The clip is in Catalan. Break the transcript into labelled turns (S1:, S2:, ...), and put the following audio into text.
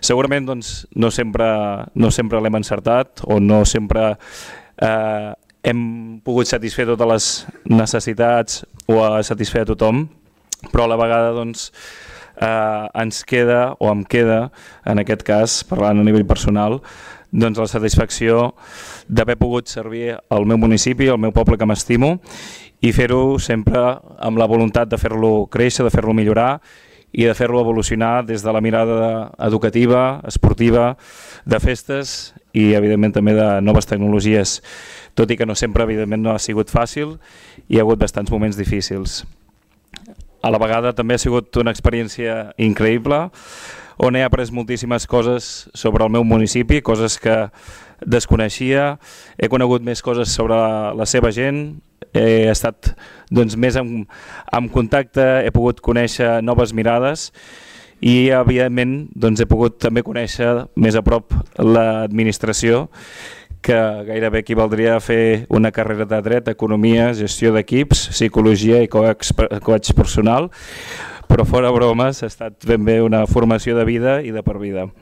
S1: Segurament doncs, no sempre l'hem encertat o no sempre hem pogut satisfer totes les necessitats o satisfer a tothom, però a la vegada doncs, ens queda, o em queda, en aquest cas, parlant a nivell personal, doncs la satisfacció d'haver pogut servir al meu municipi, al meu poble que m'estimo, i fer-ho sempre amb la voluntat de fer-lo créixer, de fer-lo millorar i de fer-lo evolucionar des de la mirada educativa, esportiva, de festes i evidentment també de noves tecnologies, tot i que no sempre evidentment no ha sigut fàcil, hi ha hagut bastants moments difícils. A la vegada també ha sigut una experiència increïble on he après moltíssimes coses sobre el meu municipi, coses que desconeixia, he conegut més coses sobre la seva gent, he estat doncs, més en contacte, he pogut conèixer noves mirades i evidentment doncs, he pogut també conèixer més a prop l'administració, que gairebé equivaldria a fer una carrera de dret, economia, gestió d'equips, psicologia i coach personal, però fora bromes ha estat ben bé una formació de vida i de per vida.